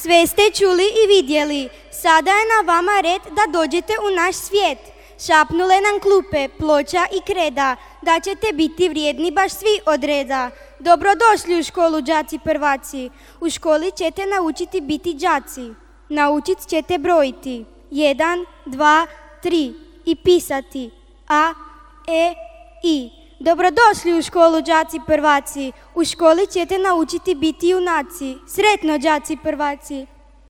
Sve ste čuli i vidjeli, sada je na vama red da dođete u naš svijet. Šapnule nam klupe, ploča i kreda, da ćete biti vrijedni baš svi od reda. Dobrodošli u školu, đaci prvaci. U školi ćete naučiti biti đaci. Naučit ćete brojiti 1, 2, 3 i pisati A, E, I. Dobrodošli u školu, đaci prvaci. U školi ćete naučiti biti junaci. Sretno, đaci prvaci.